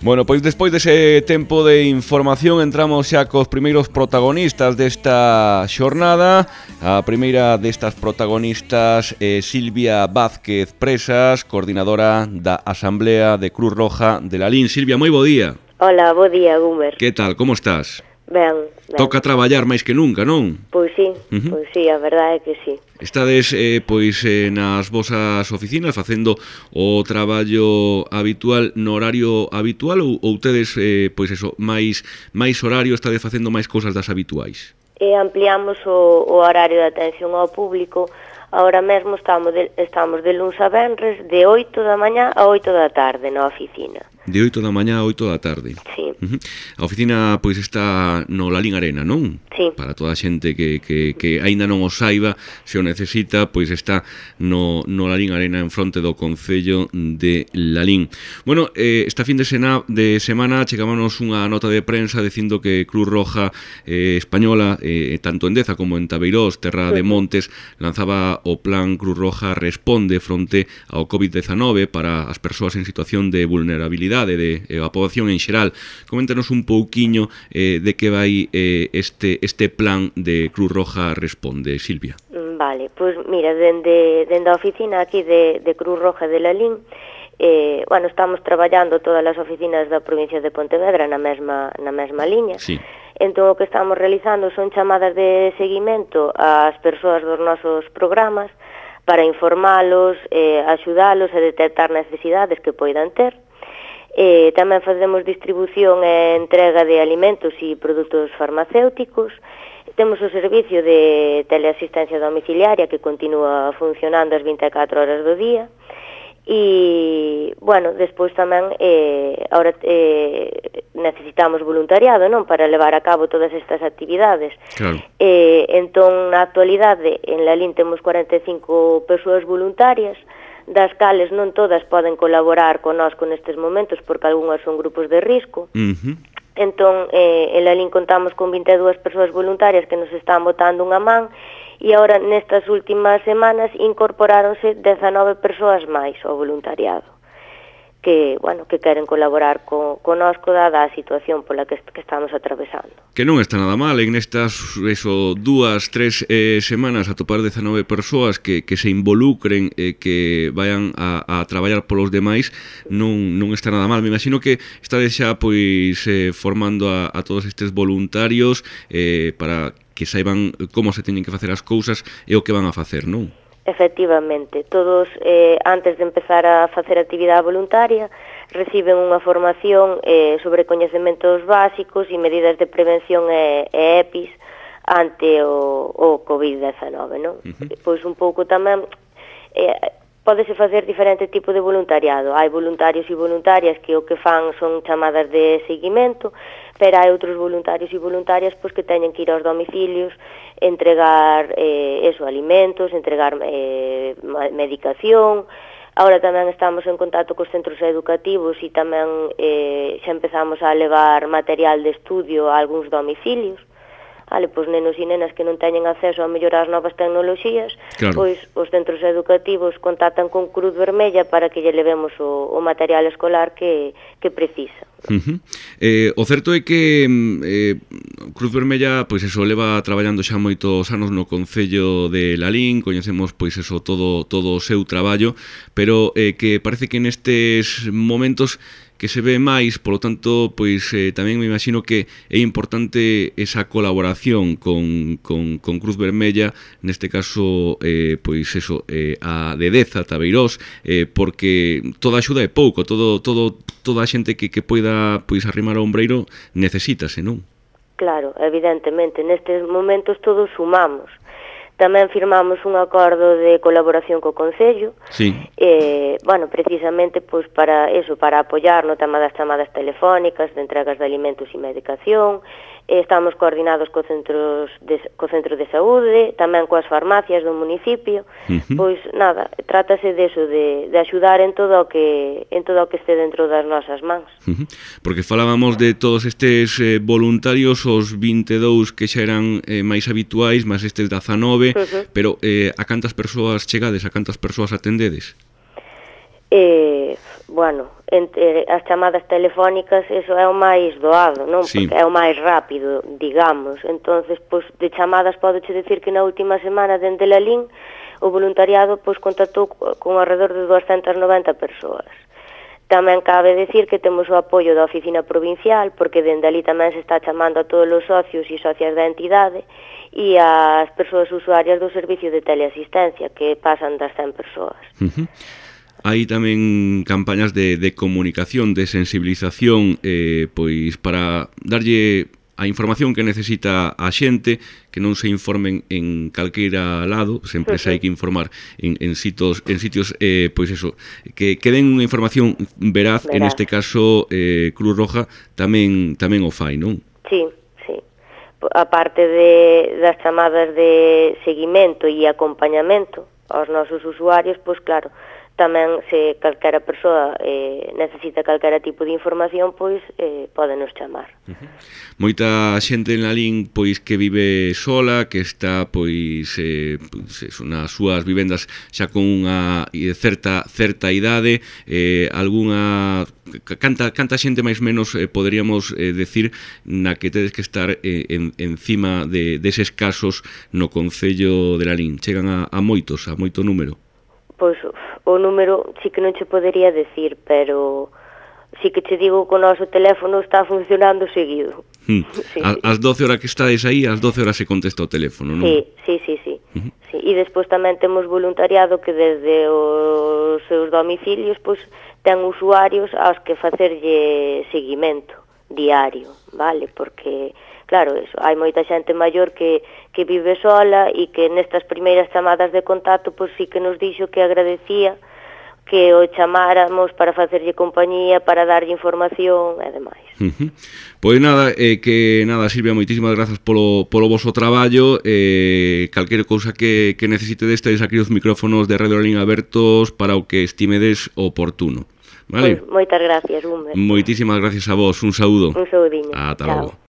Bueno, pois despois dese tempo de información entramos xa cos primeiros protagonistas desta xornada. A primeira destas protagonistas é Silvia Vázquez Presas, coordinadora da Asamblea de Cruz Roja de Lalín. Silvia, moi bo día. Hola, bo día, Gumer. Que tal, como estás? Ben. Toca traballar máis que nunca, non? Pois sí, a verdade é que sí. Estades nas vosas oficinas facendo o traballo habitual no horario habitual ou tedes máis horario, estades facendo máis cousas das habituais? Ampliamos o horario de atención ao público. Ahora mesmo estamos de luns a venres de 8 da mañá a 8 da tarde na oficina. De 8 da mañá a 8 da tarde. Sí. A oficina pois está no Lalín Arena, non? Sí. Para toda a xente que aínda non o saiba, se o necesita, pois está no Lalín Arena en fronte do Concello de Lalín. Bueno, esta fin de semana chegámonos unha nota de prensa dicindo que Cruz Roja Española, tanto en Deza como en Tabeirós, Terra de Montes, lanzaba o plan Cruz Roja Responde fronte ao COVID-19 para as persoas en situación de vulnerabilidade a poboación en xeral. Coméntanos un pouquiño de que vai este plan de Cruz Roja Responde, Silvia. Vale, pois mira, dende a oficina aquí de Cruz Roja de Lalín, estamos traballando todas as oficinas da provincia de Pontevedra na mesma liña. Sí. Entón, o que estamos realizando son chamadas de seguimento ás persoas dos nosos programas para informalos, axudalos a detectar necesidades que poidan ter. Tamén facemos distribución e entrega de alimentos e produtos farmacéuticos. Temos o servicio de teleasistencia domiciliaria que continúa funcionando as 24 horas do día. E, despois tamén ahora necesitamos voluntariado, non, para levar a cabo todas estas actividades. Claro. Entón, na actualidade, en Lalín temos 45 persoas voluntarias, das cales non todas poden colaborar connosco nestes momentos porque algunhas son grupos de risco. Entón, en Lalín contamos con 22 persoas voluntarias que nos están botando unha man e agora nestas últimas semanas incorporáronse 19 persoas máis ao voluntariado que queren colaborar connosco dada a situación pola que estamos atravesando. Que non está nada mal en estas 2-3 semanas atopar 19 persoas que se involucren que vayan a traballar polos demais, non está nada mal. Me imagino que estades xa formando a todos estes voluntarios para que saiban como se teñen que facer as cousas e o que van a facer, non? Efectivamente, todos antes de empezar a facer actividade voluntaria reciben unha formación sobre coñecementos básicos e medidas de prevención e EPIs ante o COVID-19, non? Pois un pouco tamén pódese facer diferente tipo de voluntariado. Hai voluntarios e voluntarias que o que fan son chamadas de seguimento, pero hai outros voluntarios e voluntarias que teñen que ir aos domicilios, entregar alimentos, entregar medicación. Ahora tamén estamos en contacto cos centros educativos e tamén xa empezamos a levar material de estudio a algúns domicilios. Pois nenos e nenas que non teñen acceso a mellorar as novas tecnoloxías, claro, pois os centros educativos contactan con Cruz Vermella para que lle levemos o material escolar que precisa. O certo é que Cruz Vermella leva traballando xa moitos anos no Concello de Lalín, coñecemos todo o seu traballo, pero que parece que nestes momentos que se ve máis, polo tanto, tamén me imagino que é importante esa colaboración con Cruz Vermella, neste caso, a de Deza, Tabeirós, porque toda axuda é pouco, toda a xente que poida arrimar ao ombreiro necesítase, non? Claro, evidentemente, nestes momentos todos sumamos. Tamén firmamos un acordo de colaboración co Concello, sí. Precisamente para apoiar no tema das chamadas telefónicas, de entregas de alimentos e medicación. Estamos coordinados co centro de saúde, tamén coas farmacias do municipio. Trátase deso, de axudar en todo o que este dentro das nosas mans. Porque falábamos de todos estes voluntarios, os 22 que xa eran máis habituais, máis estes 19, pero a cantas persoas chegades, a cantas persoas atendedes? Bueno, entre as chamadas telefónicas eso é o máis doado, non? Sí. Porque é o máis rápido, digamos. Entonces, pois, de chamadas podoche decir que na última semana dende Lalín o voluntariado pois contactou con alrededor de 290 persoas. Tamén cabe decir que temos o apoio da oficina provincial, porque dende ali tamén se está chamando a todos os socios e socias da entidade e as persoas usuarias do servicio de teleasistencia, que pasan das 100 persoas. Hai tamén campañas de comunicación, de sensibilización, pois para darlle a información que necesita a xente, que non se informen en calqueira lado, sempre se hai que informar en sitios, pois eso, que den unha información veraz, en este caso Cruz Roja tamén o fai, non? Sí, sí. A parte das chamadas de seguimento e acompañamento aos nosos usuarios, pois claro, tamén se calquera persoa necesita calquera tipo de información, pois pódenos chamar. Moita xente en Lalín pois que vive sola, que está pois nas súas vivendas xa con unha certa idade, algunha canta xente máis menos poderíamos decir na que tedes que estar encima deses casos no concello de Lalín. Chegan a moito número. Pois o número sí que non che podería decir, pero sí que che digo que o noso teléfono está funcionando seguido. Sí. As 12 horas que estades aí, as 12 horas se contesta o teléfono, non? Sí. Sí. E despois tamén temos voluntariado que desde os seus domicilios pois ten usuarios aos que facerlle seguimento diario, vale? Porque claro, eso, hai moita xente maior que vive sola e que nestas primeiras chamadas de contacto pois sí que nos dixo que agradecía que o chamáramos para facerlle compañía, para darlle información e demais. Pois nada, Silvia, moitísimas grazas polo voso traballo, calquera cousa que necesitedes, tedes aquí os micrófonos de Radio Lalín abertos para o que estimedes oportuno. Vale? Pois, moitas gracias, Humber. Moitísimas gracias a vos, un saúdo. Un saudiño. Ata logo.